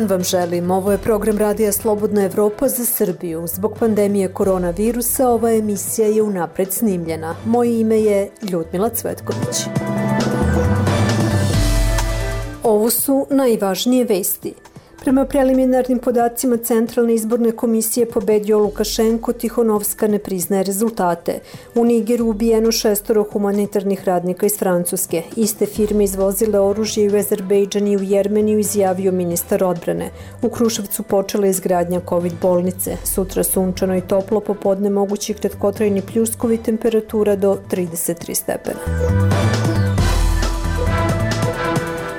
vam želim. Ovo je program Radija Slobodna Evropa za Srbiju. Zbog pandemije koronavirusa ova emisija je unapred snimljena. Moje ime je Ljudmila Cvetković. Ovo su najvažnije vesti. Prema preliminarnim podacima Centralne izborne komisije pobedio Lukašenko, Tihonovska ne priznaje rezultate. U Nigeru ubijeno 6 humanitarnih radnika iz Francuske. Iste firme izvozile oružje u Azerbejdžan i u Jermeniju, izjavio ministar odbrane. U Kruševcu počela izgradnja COVID bolnice. Sutra sunčano i toplo, popodne mogući kratkotrajni pljuskovi, temperatura do 33 stepena.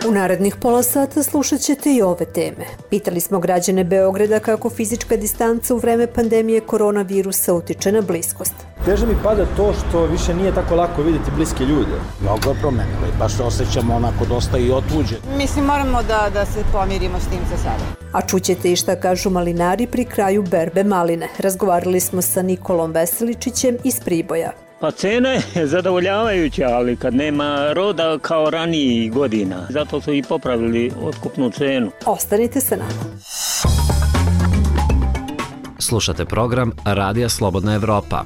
U narednih pola sata slušat ćete i ove teme. Pitali smo građane Beograda kako fizička distanca u vreme pandemije koronavirusa utiče na bliskost. Teže mi pada to što više nije tako lako vidjeti bliske ljude. Mnogo je promenilo i baš se osjećamo onako dosta i otuđeni. Mislim, moramo da se pomirimo s tim za sada. A čućete i šta kažu malinari pri kraju berbe maline. Razgovarali smo sa Nikolom Veseličićem iz Priboja. Pa cena je zadovoljavajuća, ali kad nema roda kao ranijih godina. Zato su i popravili otkupnu cenu. Ostanite sa nama. Slušate program Radija Slobodna Evropa.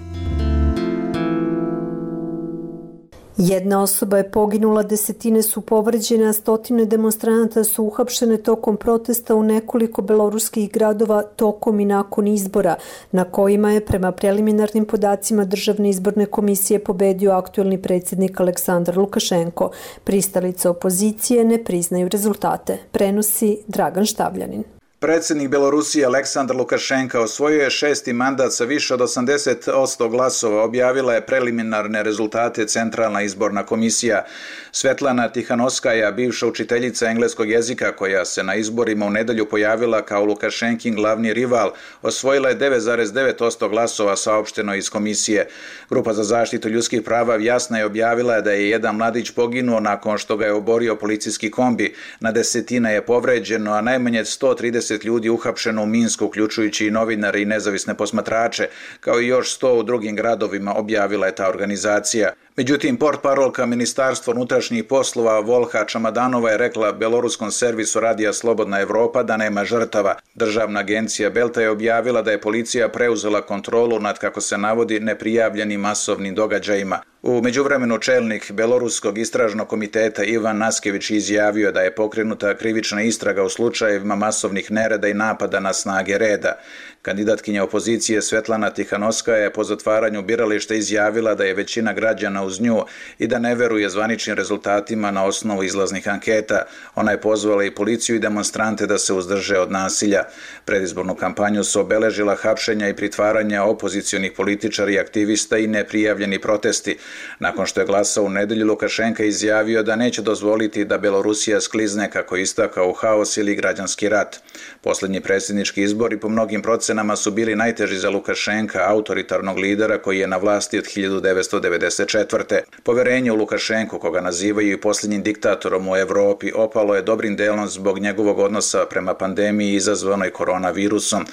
Jedna osoba je poginula, desetine su povređene, a stotine demonstranata su uhapšene tokom protesta u nekoliko beloruskih gradova tokom i nakon izbora, na kojima je prema preliminarnim podacima Državne izborne komisije pobedio aktuelni predsjednik Aleksandar Lukašenko. Pristalice opozicije ne priznaju rezultate. Prenosi Dragan Štavljanin. Predsjednik Belorusije Aleksandar Lukašenka osvojio je 6. mandat sa više od 80% glasova, objavila je preliminarne rezultate Centralna izborna komisija. Svetlana Tihanovskaja, bivša učiteljica engleskog jezika koja se na izborima u nedelju pojavila kao Lukašenkin glavni rival, osvojila je 9,9% glasova, saopšteno iz komisije. Grupa za zaštitu ljudskih prava jasno je objavila da je jedan mladić poginuo nakon što ga je oborio policijski kombi. Na desetine je povređeno, a najmanje 130 ljudi uhapšeno u Minsku, uključujući i novinare i nezavisne posmatrače, kao i još 100 u drugim gradovima, objavila je ta organizacija. Međutim, portparolka Ministarstva unutrašnjih poslova Volha Čamadanova je rekla beloruskom servisu Radija Slobodna Evropa da nema žrtava. Državna agencija Belta je objavila da je policija preuzela kontrolu nad, kako se navodi, neprijavljenim masovnim događajima. U međuvremenu čelnik Beloruskog istražnog komiteta Ivan Naskević izjavio da je pokrenuta krivična istraga u slučajevima masovnih nereda i napada na snage reda. Kandidatkinja opozicije Svetlana Tihanovskaja je po zatvaranju birališta izjavila da je većina građana uz nju i da ne veruje zvaničnim rezultatima na osnovu izlaznih anketa. Ona je pozvala i policiju i demonstrante da se uzdrže od nasilja. Predizbornu kampanju su obeležila hapšenja i pritvaranja opozicionih političara i aktivista i neprijavljeni protesti. Nakon što je glasao u nedelju, Lukašenka izjavio da neće dozvoliti da Belorusija sklizne, kako istakao, u haos ili građanski rat. Posljednji predsjednički izbori po mnogim procenama su bili najteži za Lukašenka, autoritarnog lidera koji je na vlasti od 1994. Poverenje u Lukašenku, koga nazivaju i posljednjim diktatorom u Evropi, opalo je dobrim delom zbog njegovog odnosa prema pandemiji izazvanoj koronavirusom.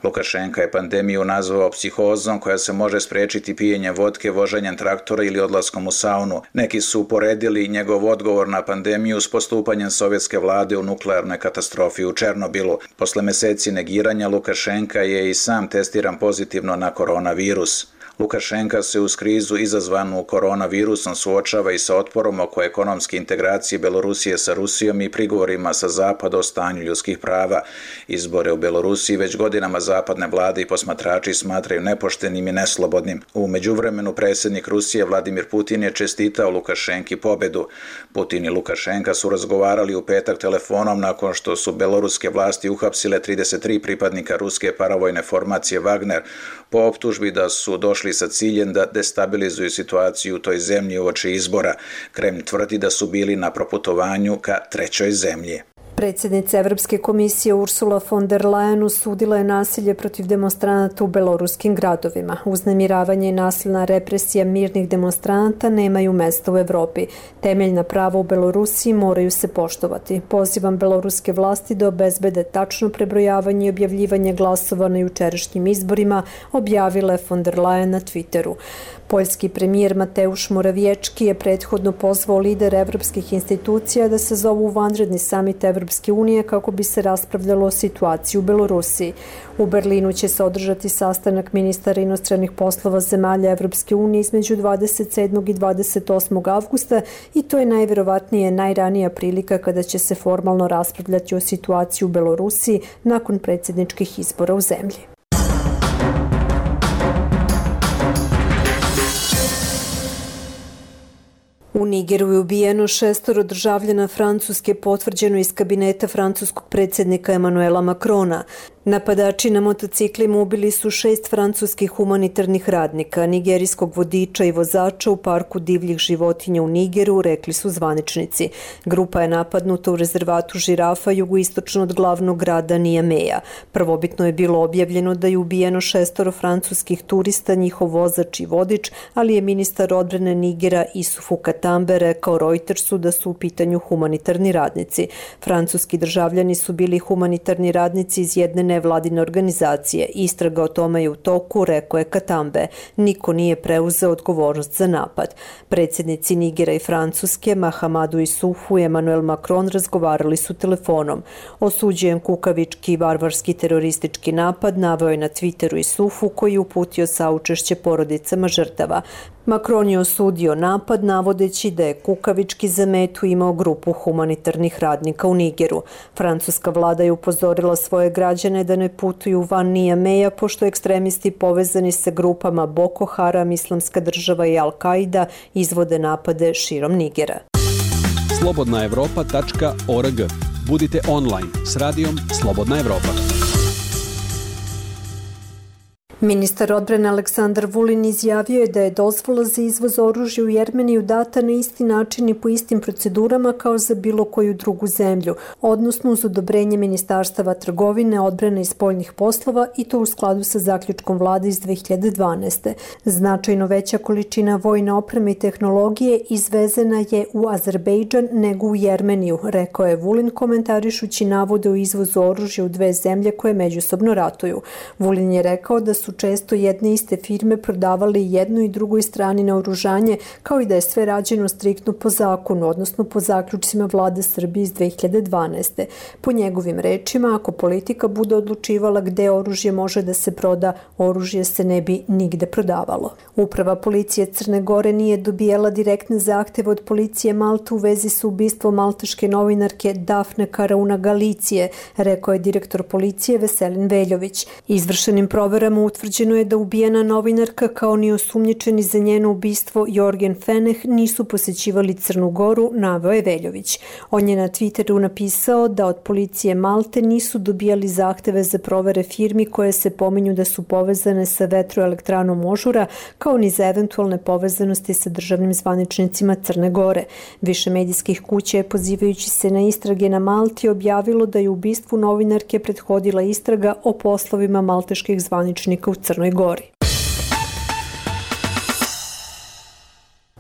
Lukašenka je pandemiju nazvao psihozom koja se može spriječiti pijenjem vodke, voženjem traktora ili odlaskom u saunu. Neki su uporedili njegov odgovor na pandemiju s postupanjem sovjetske vlade u nuklearnoj katastrofi u Černobilu. Posle meseci negiranja Lukašenka je i sam testiran pozitivno na koronavirus. Lukašenka se uz krizu izazvanu koronavirusom suočava i sa otporom oko ekonomske integracije Belorusije sa Rusijom i prigovorima sa zapada o stanju ljudskih prava. Izbore u Belorusiji već godinama zapadne vlade i posmatrači smatraju nepoštenim i neslobodnim. U međuvremenu predsjednik Rusije Vladimir Putin je čestitao Lukašenki pobedu. Putin i Lukašenka su razgovarali u petak telefonom nakon što su beloruske vlasti uhapsile 33 pripadnika ruske paravojne formacije Wagner po optužbi da su došli sa ciljem da destabilizuju situaciju u toj zemlji uoči izbora. Kremlj tvrdi da su bili na proputovanju ka trećoj zemlji. Predsjednica Evropske komisije Ursula von der Leyen osudila je nasilje protiv demonstranata u beloruskim gradovima. Uznemiravanje i nasilna represija mirnih demonstranata nemaju mesta u Evropi. Temeljna prava u Belorusiji moraju se poštovati. Pozivam beloruske vlasti da obezbede tačno prebrojavanje i objavljivanje glasova na jučerašnjim izborima, objavila je von der Leyen na Twitteru. Poljski premijer Mateusz Morawiecki je prethodno pozvao lidere evropskih institucija da se zovu vanredni samit Evropske Evropske unije kako bi se raspravljalo o situaciji u Belorusiji. U Berlinu će se održati sastanak ministara inostranih poslova zemalja Evropske unije između 27. i 28. avgusta i to je najverovatnije najranija prilika kada će se formalno raspravljati o situaciji u Belorusiji nakon predsjedničkih izbora u zemlji. U Nigeru je ubijeno 6 državljana Francuske, potvrđeno iz kabineta francuskog predsjednika Emmanuela Macrona. Napadači na motociklima ubili su 6 francuskih humanitarnih radnika, nigerijskog vodiča i vozača u parku divljih životinja u Nigeru, rekli su zvaničnici. Grupa je napadnuta u rezervatu žirafa jugoistočno od glavnog grada Niameja. Prvobitno je bilo objavljeno da je ubijeno 6 francuskih turista, njihov vozač i vodič, ali je ministar odbrane Nigera Isufu Katambe rekao Reutersu da su u pitanju humanitarni radnici. Francuski državljani su bili humanitarni radnici iz jedne nevladine organizacije. Istraga o tome je u toku, rekao je Katambe. Niko nije preuzeo odgovornost za napad. Predsjednici Nigera i Francuske, Mahamadou Issoufou i Emmanuel Macron razgovarali su telefonom. Osuđujem kukavički i barbarski teroristički napad, naveo je na Twitteru Issoufou koji je uputio saučešće porodicama žrtava. Macron je osudio napad navodeći da je kukavički za metu imao grupu humanitarnih radnika u Nigeru. Francuska vlada je upozorila svoje građane da ne putuju van Niameja pošto ekstremisti povezani sa grupama Boko Haram, Islamska država i Al-Qaida izvode napade širom Nigera. slobodnaevropa.org. Budite online s radijom Slobodna Evropa. Ministar odbrane Aleksandar Vulin izjavio je da je dozvola za izvoz oružja u Jermeniju data na isti način i po istim procedurama kao za bilo koju drugu zemlju, odnosno uz odobrenje Ministarstava trgovine, odbrane i spoljnih poslova i to u skladu sa zaključkom vlade iz 2012. Značajno veća količina vojne opreme i tehnologije izvezena je u Azerbejdžan nego u Jermeniju, rekao je Vulin komentarišući navode o izvozu oružja u dve zemlje koje međusobno ratuju. Vulin je rekao da su često jedne iste firme prodavali jednoj i drugoj strani naoružanje, kao i da je sve rađeno striktno po zakonu, odnosno po zaključcima vlade Srbije iz 2012. Po njegovim rečima, ako politika bude odlučivala gde oružje može da se proda, oružje se ne bi nigde prodavalo. Uprava policije Crne Gore nije dobijala direktne zahteve od policije Malte u vezi sa ubistvom malteške novinarke Dafne Karauna Galicije, rekao je direktor policije Veselin Veljović. Izvršenim proverama utvrđeno je da ubijena novinarka kao ni osumnjičeni za njeno ubistvo Jorgen Feneh nisu posećivali Crnu Goru, naveo je Veljović. On je na Twitteru napisao da od policije Malte nisu dobijali zahteve za provere firmi koje se pominju da su povezane sa vetroelektranom Ožura, kao ni za eventualne povezanosti sa državnim zvaničnicima Crne Gore. Više medijskih kuća je, pozivajući se na istrage na Malti, objavilo da je ubistvu novinarke prethodila istraga o poslovima malteških zvaničnika u Crnoj Gori.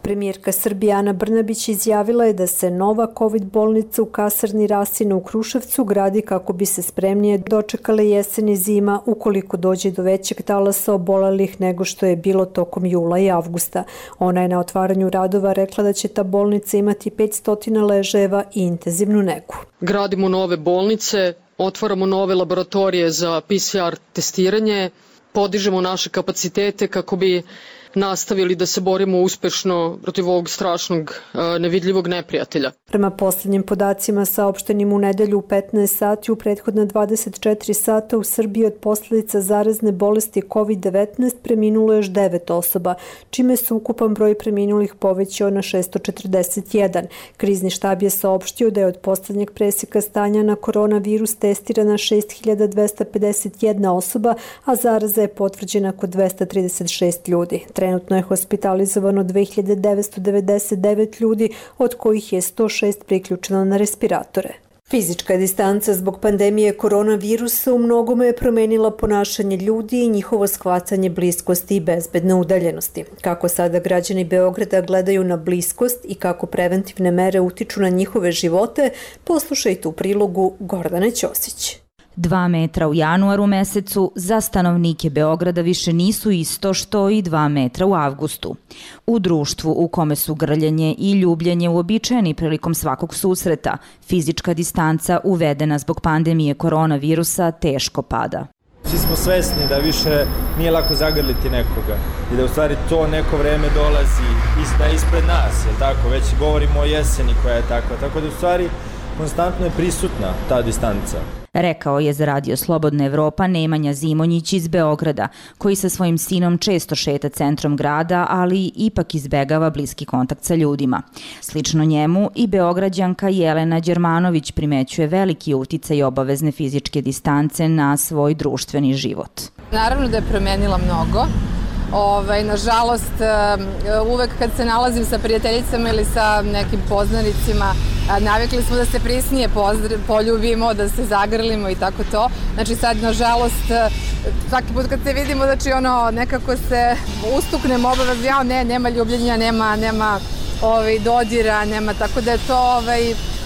Premijerka Srbije Ana Brnabić izjavila je da se nova COVID bolnica u kasarni Rasina u Kruševcu gradi kako bi se spremnije dočekale jesen i zima ukoliko dođe do većeg talasa obolelih nego što je bilo tokom jula i avgusta. Ona je na otvaranju radova rekla da će ta bolnica imati 500 ležajeva i intenzivnu negu. Gradimo nove bolnice, otvaramo nove laboratorije za PCR testiranje, podižemo naše kapacitete kako bi nastavili da se borimo uspešno protiv ovog strašnog nevidljivog neprijatelja. Prema posljednjim podacima saopštenim u nedelju u 15 sati u prethodna 24 sata u Srbiji od posljedica zarazne bolesti COVID-19 preminulo još 9 osoba, čime se ukupan broj preminulih povećao na 641. Krizni štab je saopštio da je od posljednjeg preseka stanja na koronavirus testirana 6251 osoba, a zaraza je potvrđena kod 236 ljudi. Trenutno je hospitalizovano 2999 ljudi, od kojih je 106 priključeno na respiratore. Fizička distanca zbog pandemije koronavirusa u mnogome je promenila ponašanje ljudi i njihovo shvatanje bliskosti i bezbedne udaljenosti. Kako sada građani Beograda gledaju na bliskost i kako preventivne mere utiču na njihove živote, poslušajte u prilogu Gordane Ćosić. 2 metra u januaru mesecu za stanovnike Beograda više nisu isto što i 2 metra u avgustu. U društvu u kome su grljenje i ljubljenje uobičajeni prilikom svakog susreta, fizička distanca uvedena zbog pandemije koronavirusa teško pada. Svi smo svesni da više nije lako zagrliti nekoga i da u stvari to neko vreme dolazi ispred nas, jel tako? Već govorimo o jeseni koja je takva, tako da u stvari konstantno je prisutna ta distanca. Rekao je za Radio Slobodna Evropa Nemanja Zimonjić iz Beograda, koji sa svojim sinom često šeta centrom grada, ali ipak izbegava bliski kontakt sa ljudima. Slično njemu i Beograđanka Jelena Đermanović primećuje veliki uticaj obavezne fizičke distance na svoj društveni život. Naravno da je promenila mnogo. Nažalost, uvek kad se nalazim sa prijateljicama ili sa nekim poznanicima, navikli smo da se prisnije poljubimo, da se zagrlimo i tako to. Znači sad, nažalost, svaki put kad se vidimo, znači nekako se ustuknemo obavezno, nema ljubljenja, nema dodira, nema, tako da je to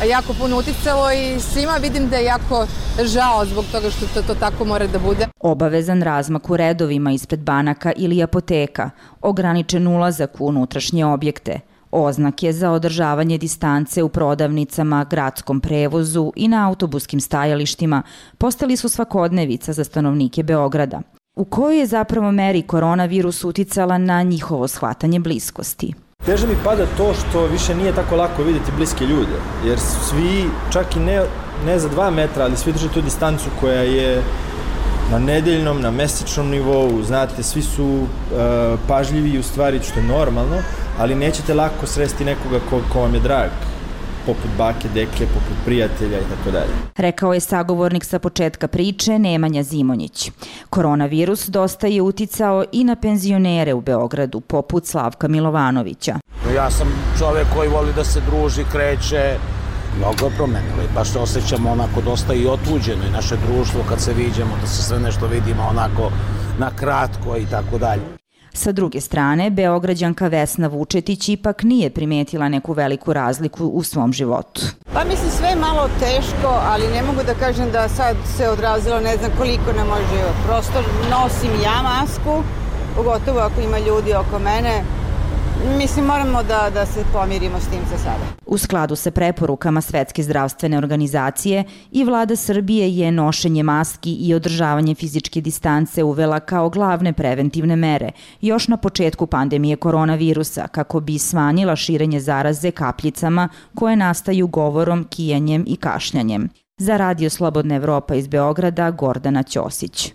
jako puno uticalo i svima vidim da je jako žao zbog toga što to tako mora da bude. Obavezan razmak u redovima ispred banaka ili apoteka, ograničen ulazak u unutrašnje objekte, oznake za održavanje distance u prodavnicama, gradskom prevozu i na autobuskim stajalištima postali su svakodnevica za stanovnike Beograda. U kojoj je zapravo meri koronavirus uticala na njihovo shvatanje bliskosti? Teže mi pada to što više nije tako lako vidjeti bliske ljude, jer svi, čak i ne za 2 metra, ali svi drže tu distancu koja je na nedeljnom, na mesečnom nivou, znate, svi su pažljivi u stvari, što je normalno, ali nećete lako sresti nekoga ko vam je drag, poput bake, deke, poput prijatelja i tako dalje. Rekao je sagovornik sa početka priče Nemanja Zimonjić. Koronavirus dosta je uticao i na penzionere u Beogradu, poput Slavka Milovanovića. Ja sam čovjek koji voli da se druži, kreće, mnogo je promenilo i baš se osjećamo onako dosta i otuđeno i naše društvo kad se viđemo, da se sve nešto vidimo onako na kratko i tako dalje. Sa druge strane, Beograđanka Vesna Vučetić ipak nije primetila neku veliku razliku u svom životu. Pa mislim sve je malo teško, ali ne mogu da kažem da sad se odrazilo ne znam koliko na moj život. Prosto nosim ja masku, pogotovo ako ima ljudi oko mene. Mislim, moramo da se pomirimo s tim za sada. U skladu sa preporukama Svetske zdravstvene organizacije i vlada Srbije je nošenje maski i održavanje fizičke distance uvela kao glavne preventivne mere još na početku pandemije koronavirusa kako bi smanjila širenje zaraze kapljicama koje nastaju govorom, kijanjem i kašljanjem. Za Radio Slobodna Evropa iz Beograda, Gordana Ćosić.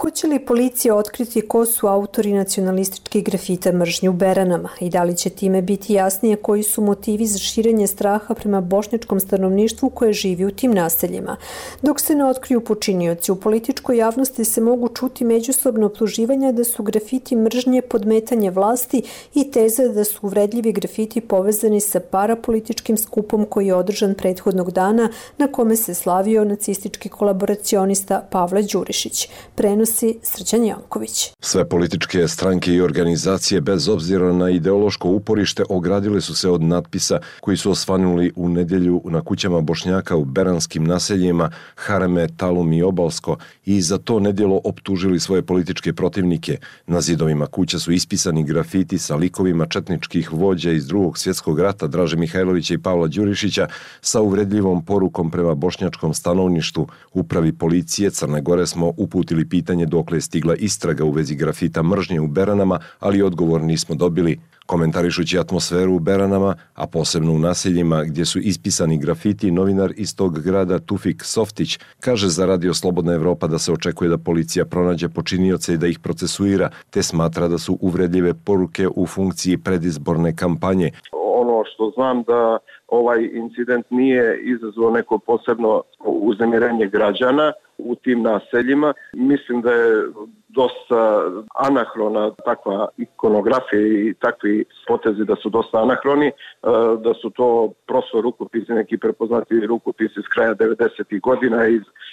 Hoće li policija otkriti ko su autori nacionalističkih grafita mržnje u Beranama i da li će time biti jasnije koji su motivi za širenje straha prema bošnjačkom stanovništvu koje živi u tim naseljima? Dok se ne otkriju počinioci, u političkoj javnosti se mogu čuti međusobno optuživanja da su grafiti mržnje podmetanje vlasti i teze da su uvredljivi grafiti povezani sa parapolitičkim skupom koji je održan prethodnog dana na kome se slavio nacistički kolaboracionista Pavle Đurišić. Prenosi Srđan Janković. Sve političke stranke i organizacije bez obzira na ideološko uporište ogradile su se od natpisa koji su osvanuli u nedjelju na kućama Bošnjaka u beranskim naseljima Hareme, Talum i Obalsko i za to nedjelo optužili svoje političke protivnike. Na zidovima kuća su ispisani grafiti sa likovima četničkih vođa iz Drugog svjetskog rata Draže Mihajlovića i Pavla Đurišića sa uvredljivom porukom prema bošnjačkom stanovništvu. Upravi policije Crne Gore smo uputili pitanje dokle je stigla istraga u vezi grafita mržnje u Beranama, ali odgovor nismo dobili. Komentarišući atmosferu u Beranama, a posebno u naseljima gdje su ispisani grafiti, novinar iz tog grada Tufik Softić kaže za Radio Slobodna Evropa da se očekuje da policija pronađe počinioce i da ih procesuira, te smatra da su uvredljive poruke u funkciji predizborne kampanje. Ono što znam da ovaj incident nije izazvao neko posebno uznemirenje građana, u tim naseljima. Mislim da je dosta anahrona takva ikonografija i takvi potezi da su dosta anahroni, da su to prosto rukopisi, neki prepoznati rukopisi s kraja 90. godina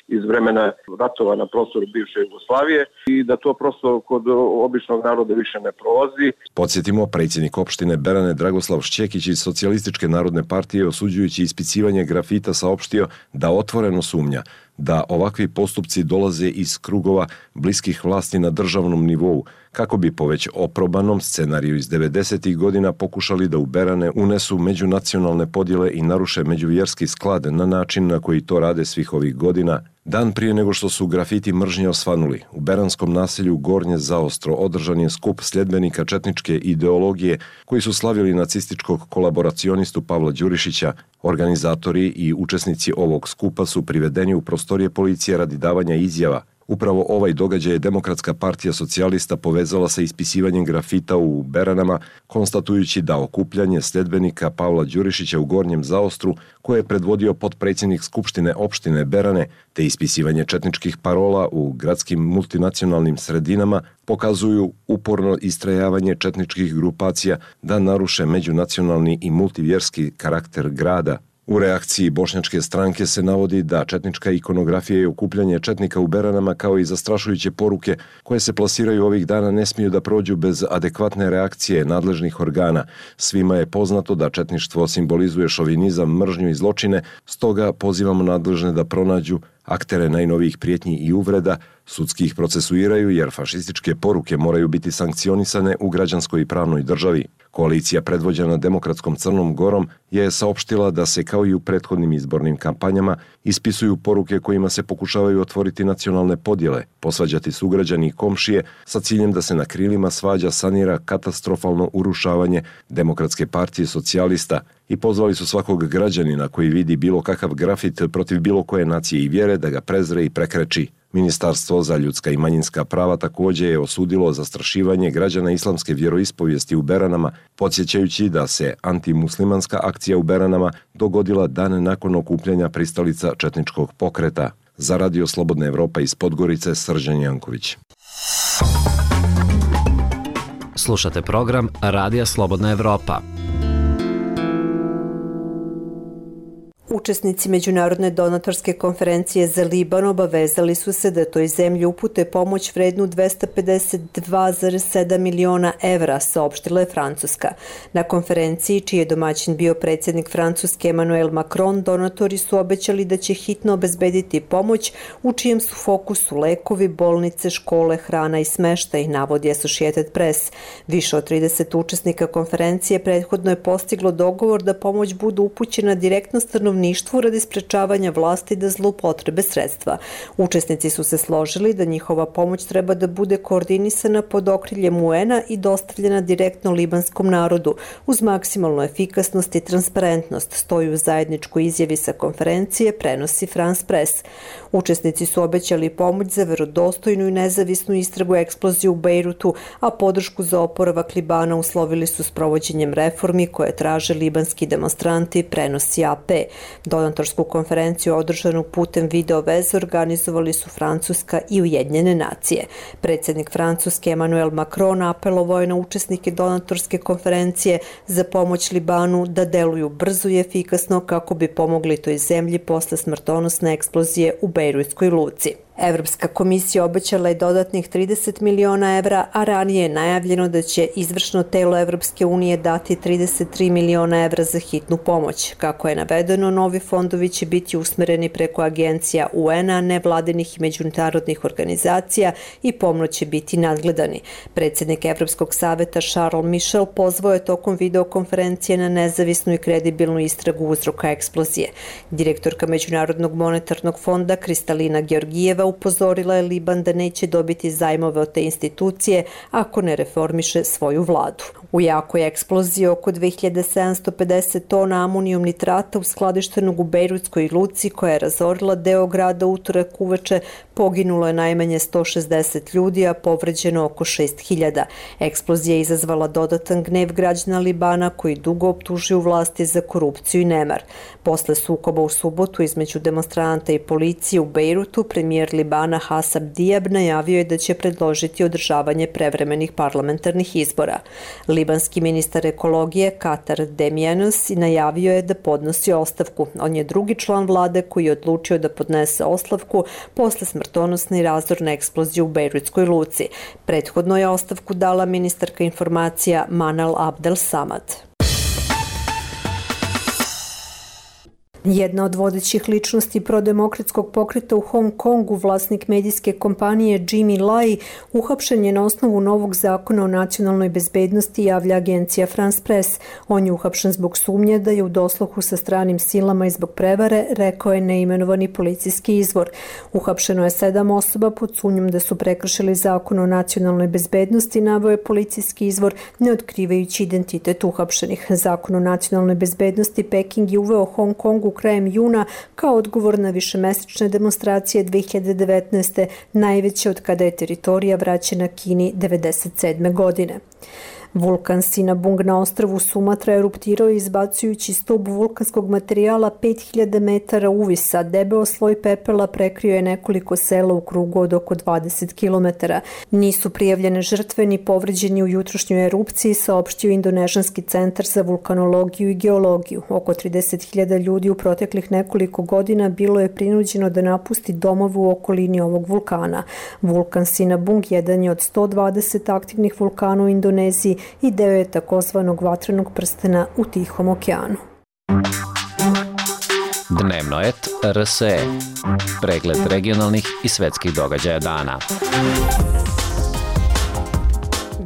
iz vremena ratova na prostoru bivše Jugoslavije i da to prosto kod običnog naroda više ne prolazi. Podsjetimo, predsjednik opštine Berane Dragoslav Šćekić iz Socijalističke narodne partije, osuđujući ispicivanje grafita, saopštio da otvoreno sumnja da ovakvi postupci dolaze iz krugova bliskih vlasti na državnom nivou, kako bi po već oprobanom scenariju iz 90. godina pokušali da u Berane unesu međunacionalne podjele i naruše međuvjerski sklad na način na koji to rade svih ovih godina. Dan prije nego što su grafiti mržnje osvanuli, u beranskom naselju Gornje Zaostro održan je skup sljedbenika četničke ideologije koji su slavili nacističkog kolaboracionistu Pavla Đurišića. Organizatori i učesnici ovog skupa su privedeni u prostorije policije radi davanja izjava. Upravo ovaj događaj je Demokratska partija socijalista povezala sa ispisivanjem grafita u Beranama, konstatujući da okupljanje sljedbenika Pavla Đurišića u Gornjem Zaostru, koje je predvodio potpredsjednik Skupštine opštine Berane, te ispisivanje četničkih parola u gradskim multinacionalnim sredinama, pokazuju uporno istrajavanje četničkih grupacija da naruše međunacionalni i multivjerski karakter grada. U reakciji bošnjačke stranke se navodi da četnička ikonografija i okupljanje četnika u Beranama kao i zastrašujuće poruke koje se plasiraju ovih dana ne smiju da prođu bez adekvatne reakcije nadležnih organa. Svima je poznato da četništvo simbolizuje šovinizam, mržnju i zločine, stoga pozivamo nadležne da pronađu aktere najnovijih prijetnji i uvreda, sudski ih procesuiraju jer fašističke poruke moraju biti sankcionisane u građanskoj i pravnoj državi. Koalicija predvođena Demokratskom Crnom Gorom je saopštila da se kao i u prethodnim izbornim kampanjama ispisuju poruke kojima se pokušavaju otvoriti nacionalne podjele, posvađati sugrađani i komšije sa ciljem da se na krilima svađa sanira katastrofalno urušavanje Demokratske partije socijalista i pozvali su svakog građanina koji vidi bilo kakav grafit protiv bilo koje nacije i vjere da ga prezre i prekreči. Ministarstvo za ljudska i manjinska prava također je osudilo zastrašivanje građana islamske vjeroispovijesti u Beranama, podsjećajući da se antimuslimanska akcija u Beranama dogodila dan nakon okupljanja pristalica četničkog pokreta. Za Radio Slobodna Evropa iz Podgorice, Srđan Janković. Slušate program Radija Slobodna Evropa. Učesnici Međunarodne donatorske konferencije za Liban obavezali su se da toj zemlji upute pomoć vrednu 252,7 miliona evra, saopštila je Francuska. Na konferenciji, čiji je domaćin bio predsjednik Francuske Emmanuel Macron, donatori su obećali da će hitno obezbediti pomoć, u čijem su fokusu lekovi, bolnice, škole, hrana i smeštaj, navodi Associated Press. Više od 30 učesnika konferencije prethodno je postiglo dogovor da pomoć bude upućena direktno stanovništvu radi sprečavanja vlasti da zloupotrebe sredstva. Učesnici su se složili da njihova pomoć treba da bude koordinisana pod okriljem UN-a i dostavljena direktno libanskom narodu, uz maksimalnu efikasnost i transparentnost, stoji u zajedničkoj izjavi sa konferencije, prenosi France Press. Učesnici su obećali pomoć za verodostojnu i nezavisnu istragu eksplozije u Bejrutu, a podršku za oporavak Libana uslovili su s provođenjem reformi koje traže libanski demonstranti, prenosi AP. Donatorsku konferenciju održanu putem video veze organizovali su Francuska i Ujedinjene nacije. Predsjednik Francuske Emmanuel Macron apelovao je na učesnike donatorske konferencije za pomoć Libanu da deluju brzo i efikasno kako bi pomogli toj zemlji posle smrtonosne eksplozije u Bejrutskoj luci. Evropska komisija obećala je dodatnih 30 miliona evra, a ranije je najavljeno da će izvršno telo Evropske unije dati 33 miliona evra za hitnu pomoć. Kako je navedeno, novi fondovi će biti usmereni preko agencija UN-a, nevladinih i međunarodnih organizacija i pomno će biti nadgledani. Predsjednik Evropskog saveta Charles Michel pozvao je tokom videokonferencije na nezavisnu i kredibilnu istragu uzroka eksplozije. Direktorka Međunarodnog monetarnog fonda Kristalina Georgijeva upozorila je Liban da neće dobiti zajmove od te institucije ako ne reformiše svoju vladu. U jakoj eksploziji oko 2750 tona amonijum nitrata uskladištenog u Bejrutskoj luci koja je razorila deo grada utorak uveče, poginulo je najmanje 160 ljudi, a povređeno oko 6000. Eksplozija je izazvala dodatan gnev građana Libana koji dugo optužuju vlasti za korupciju i nemar. Posle sukoba u subotu između demonstranata i policije u Bejrutu, premijer Libana Hasab Diab najavio je da će predložiti održavanje prevremenih parlamentarnih izbora. Libanski ministar ekologije Katar Demianos najavio je da podnosi ostavku. On je drugi član vlade koji je odlučio da podnese ostavku posle smrtonosne i razorne eksplozije u Bejrutskoj luci. Prethodno je ostavku dala ministarka informacija Manal Abdel Samad. Jedna od vodećih ličnosti prodemokratskog pokreta u Hong Kongu, vlasnik medijske kompanije Jimmy Lai, uhapšen je na osnovu novog zakona o nacionalnoj bezbednosti, javlja agencija France Press. On je uhapšen zbog sumnje da je u dosluhu sa stranim silama i zbog prevare, rekao je neimenovani policijski izvor. Uhapšeno je 7 osoba pod sumnjom da su prekršili zakon o nacionalnoj bezbednosti, naveo je policijski izvor, ne otkrivajući identitet uhapšenih. Zakon o nacionalnoj bezbednosti Peking je uveo Hong Kongu krajem juna kao odgovor na višemesečne demonstracije 2019. najveće od kada je teritorija vraćena Kini 1997. godine. Vulkan Sinabung na ostrvu Sumatra eruptirao izbacujući stub vulkanskog materijala 5000 metara uvisa. Debeo sloj pepela prekrio je nekoliko sela u krugu od oko 20 km. Nisu prijavljene žrtve ni povređeni u jutrošnjoj erupciji, saopštio Indonežanski centar za vulkanologiju i geologiju. Oko 30.000 ljudi u proteklih nekoliko godina bilo je prinuđeno da napusti domove u okolini ovog vulkana. Vulkan Sinabung jedan je od 120 aktivnih vulkana u Indoneziji i deo je takozvanog vatrenog prstena u Tihom okeanu. Dnevnoet RSE. Pregled regionalnih i svetskih događaja dana.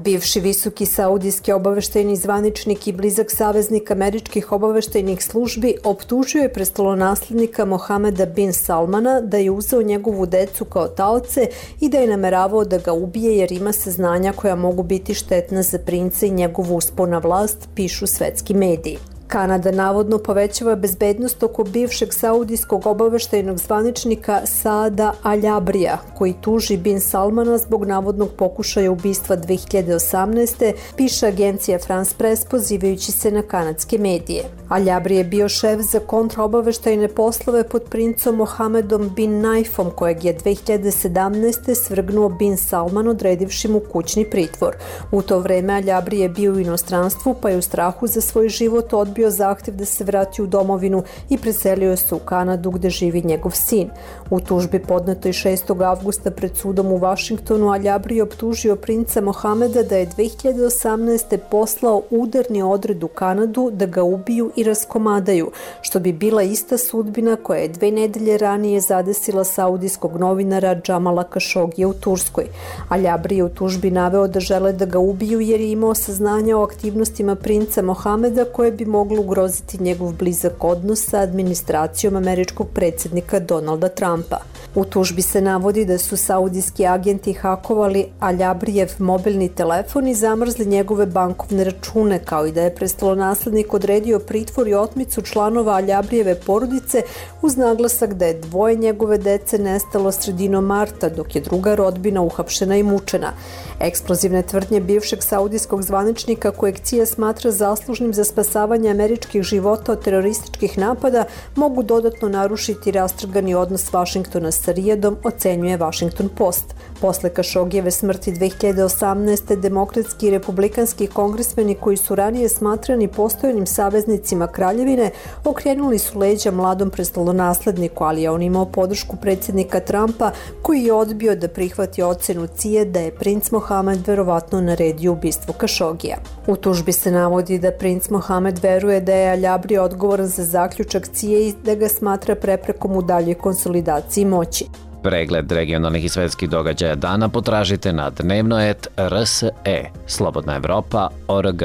Bivši visoki saudijski obaveštajni zvaničnik i blizak saveznik američkih obaveštajnih službi optužio je prestolonaslednika Mohameda bin Salmana da je uzeo njegovu decu kao taoce i da je nameravao da ga ubije jer ima saznanja koja mogu biti štetna za princa i njegovu uspon na vlast, pišu svetski mediji. Kanada navodno povećava bezbednost oko bivšeg saudijskog obaveštajnog zvaničnika Saada Aljabrija, koji tuži bin Salmana zbog navodnog pokušaja ubistva 2018. piše agencija France Press pozivajući se na kanadske medije. Aljabri je bio šef za kontraobaveštajne poslove pod princom Mohamedom bin Naifom, kojeg je 2017. svrgnuo bin Salman odredivši mu kućni pritvor. U to vreme Aljabri je bio u inostranstvu pa je u strahu za svoj život odbio zahtev da se vrati u domovinu i preselio se u Kanadu gde živi njegov sin. U tužbi podnetoj 6. avgusta pred sudom u Vašingtonu Aljabri je optužio princa Mohameda da je 2018. poslao udarni odred u Kanadu da ga ubiju i raskomadaju, što bi bila ista sudbina koja je 2 nedelje ranije zadesila saudijskog novinara Džamala Kašogija u Turskoj. Aljabri je u tužbi naveo da žele da ga ubiju jer je imao saznanja o aktivnostima princa Mohameda koje bi moglo ugroziti njegov blizak odnos sa administracijom američkog predsjednika Donalda Trumpa. U tužbi se navodi da su saudijski agenti hakovali Aljabrijev mobilni telefon i zamrzli njegove bankovne račune, kao i da je prestolonaslednik odredio pritvor i otmicu članova Aljabrijeve porodice uz naglasak da je 2 njegove dece nestalo sredinom marta, dok je druga rodbina uhapšena i mučena. Eksplozivne tvrdnje bivšeg saudijskog zvaničnika kojeg CIA smatra zaslužnim za spasavanje američkih života od terorističkih napada mogu dodatno narušiti rastrgani odnos Vašingtona sa Rijadom, ocenjuje Washington Post. Posle Kašogijeve smrti 2018. demokratski i republikanski kongresmeni koji su ranije smatrani postojanim saveznicima kraljevine okrenuli su leđa mladom prestolonasledniku, ali je on imao podršku predsjednika Trumpa koji je odbio da prihvati ocenu CIA da je princ Mohamed verovatno naredio ubistvo Kašogija. U tužbi se navodi da princ Mohamed veruje da je Aljabri odgovoran za zaključak CIA i da ga smatra preprekom u daljoj konsolidaciji moći. Pregled regionalnih i svetskih događaja dana potražite na dnevnoet RSE, Slobodna Evropa.org.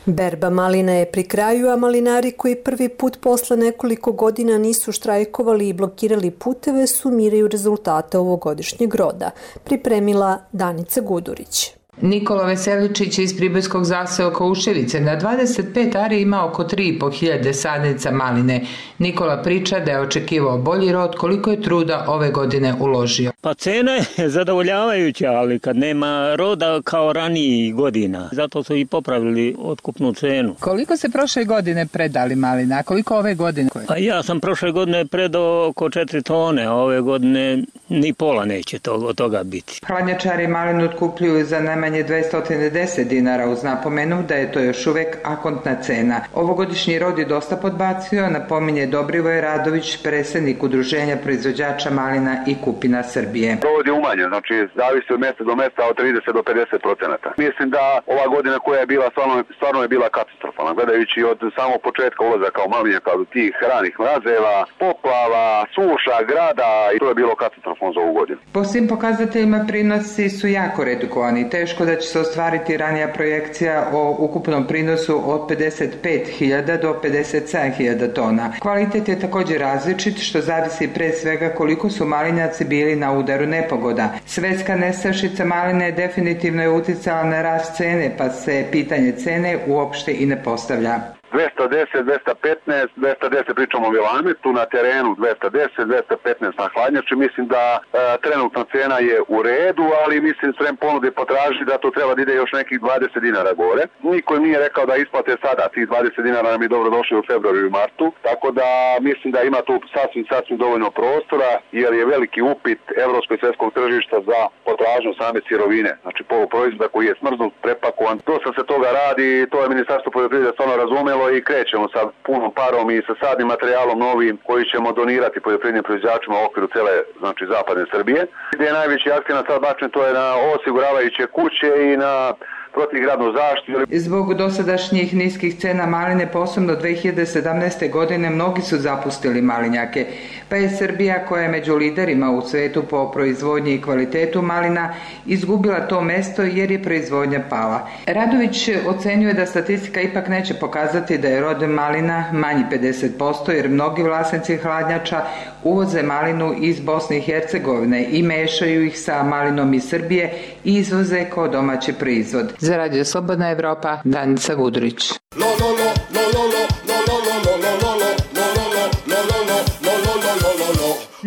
Berba malina je pri kraju, a malinari koji prvi put posle nekoliko godina nisu štrajkovali i blokirali puteve sumiraju rezultate ovogodišnjeg roda, pripremila Danica Gudurić. Nikola Veseličić iz Pribojskog zaseoka Uševice na 25 ari ima oko 3.500 sadnica maline. Nikola priča da je očekivao bolji rod, koliko je truda ove godine uložio. Pa cena je zadovoljavajuća, ali kad nema roda kao ranijih godina. Zato su i popravili otkupnu cenu. Koliko se prošle godine predali malina, a koliko ove godine? Pa ja sam prošle godine predao oko 4 tone, a ove godine ni pola neće od toga biti. Hladnjačari malinu otkupljuju za najmanje 210 dinara uz napomenu da je to još uvek akontna cena. Ovogodišnji rod je dosta podbacio, napominje Dobrivoj Radović, predsjednik Udruženja proizvođača malina i kupina Srbije. Rod je umanjen, znači zavisi od mjesta do mjesta od 30 do 50%. Mislim da ova godina koja je bila stvarno je bila katastrofalna. Gledajući od samog početka ulazaka u malinjaka od tih ranih mrazeva, poplava, suša, grada i to je bilo katastrofalno za ovu godinu. Po svim pokazateljima prinosi su jako redukovani. Teško da će se ostvariti ranija projekcija o ukupnom prinosu od 55.000 do 57.000 tona. Kvalitet je također različit, što zavisi pre svega koliko su malinjaci bili na udaru nepogoda. Svetska nestašica maline definitivno je uticala na rast cene, pa se pitanje cene uopšte i ne postavlja. 210, 215, 210 pričamo o Vilametu, na terenu 210, 215 na hladnjači. Mislim da trenutna cena je u redu, ali mislim sprem ponude potraži da to treba da ide još nekih 20 dinara gore. Niko im nije rekao da isplate sada, tih 20 dinara nam je dobro došli u februaru i martu, tako da mislim da ima tu sasvim dovoljno prostora, jer je veliki upit evropskog i svetskog tržišta za potražnju same sirovine, znači poluproizvoda koji je smrznut, prepakovan. Dosta se toga radi, to je Ministarstvo poljoprivrede stvarno razumelo i krećemo sa punom parom i sa sadnim materijalom novim koji ćemo donirati poljoprivrednim proizvođačima u okviru cele, znači zapadne Srbije. Gdje je najveći akcenat sad bačen, to je na osiguravajuće kuće i na protivgradnu zaštitu. Zbog dosadašnjih niskih cena maline, posebno 2017. godine, mnogi su zapustili malinjake, pa je Srbija, koja je među liderima u svetu po proizvodnji i kvalitetu malina, izgubila to mesto jer je proizvodnja pala. Radović ocenjuje da statistika ipak neće pokazati da je rod malina manji 50%, jer mnogi vlasnici hladnjača uvoze malinu iz Bosne i Hercegovine i mešaju ih sa malinom iz Srbije i izvoze kao domaći proizvod. Za Radio Slobodna Evropa, Danica Gudurić.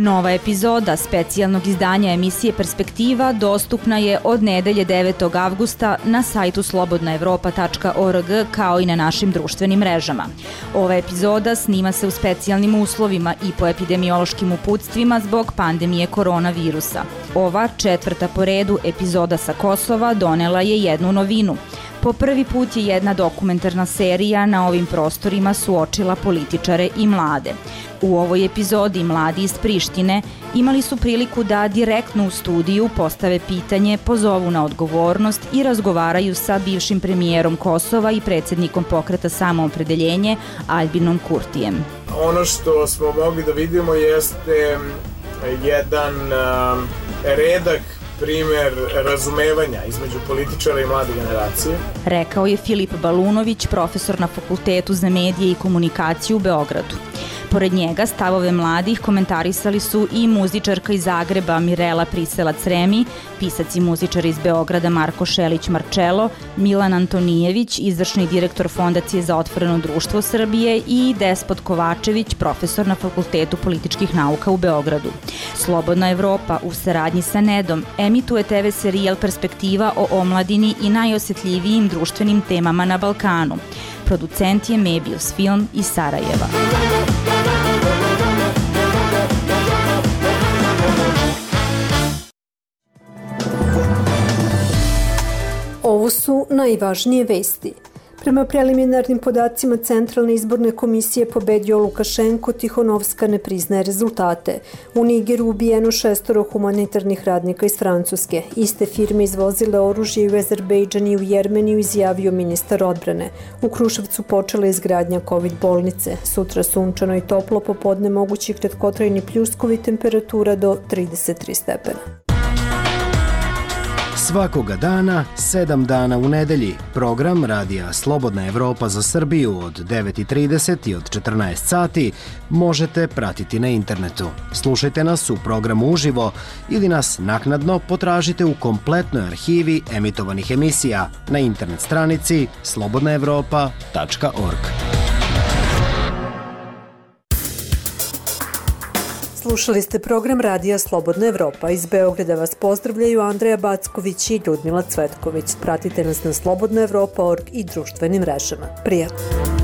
Nova epizoda specijalnog izdanja emisije Perspektiva dostupna je od nedelje 9. avgusta na sajtu slobodnaevropa.org kao i na našim društvenim mrežama. Ova epizoda snima se u specijalnim uslovima i po epidemiološkim uputstvima zbog pandemije koronavirusa. Ova 4. po redu epizoda sa Kosova donela je jednu novinu. Po prvi put je jedna dokumentarna serija na ovim prostorima suočila političare i mlade. U ovoj epizodi mladi iz Prištine imali su priliku da direktno u studiju postave pitanje, pozovu na odgovornost i razgovaraju sa bivšim premijerom Kosova i predsjednikom pokreta Samoopredeljenje Albinom Kurtijem. Ono što smo mogli da vidimo jeste jedan redak primer razumevanja između političara i mlade generacije. Rekao je Filip Balunović, profesor na Fakultetu za medije i komunikaciju u Beogradu. Pored njega stavove mladih komentarisali su i muzičarka iz Zagreba Mirela Priselac-Remi, pisac i muzičar iz Beograda Marko Šelić-Marčelo, Milan Antonijević, izvršni direktor Fondacije za otvoreno društvo Srbije i Despot Kovačević, profesor na Fakultetu političkih nauka u Beogradu. Slobodna Evropa u saradnji sa Nedom emituje TV serijal Perspektiva o omladini i najosjetljivijim društvenim temama na Balkanu. Producent je Mebius Film iz Sarajeva. Ovo su najvažnije vesti. Prema preliminarnim podacima Centralne izborne komisije pobedio Lukašenko, Tihonovska ne priznaje rezultate. U Nigeru ubijeno 6 humanitarnih radnika iz Francuske. Iste firme izvozile oružje u Azerbejdžan i u Jermeniju, izjavio ministar odbrane. U Kruševcu počela izgradnja COVID bolnice. Sutra sunčano i toplo, popodne mogući kratkotrajni pljuskovi, temperatura do 33 stepena. Svakoga dana, 7 dana u nedelji, program Radija Slobodna Evropa za Srbiju od 9:30 i od 14 sati možete pratiti na internetu. Slušajte nas u programu uživo ili nas naknadno potražite u kompletnoj arhivi emitovanih emisija na internet stranici slobodnaevropa.org. Slušali ste program Radija Slobodna Evropa. Iz Beograda vas pozdravljaju Andreja Backović i Ljudmila Cvetković. Pratite nas na slobodnaevropa.org i društvenim mrežama. Prijatno!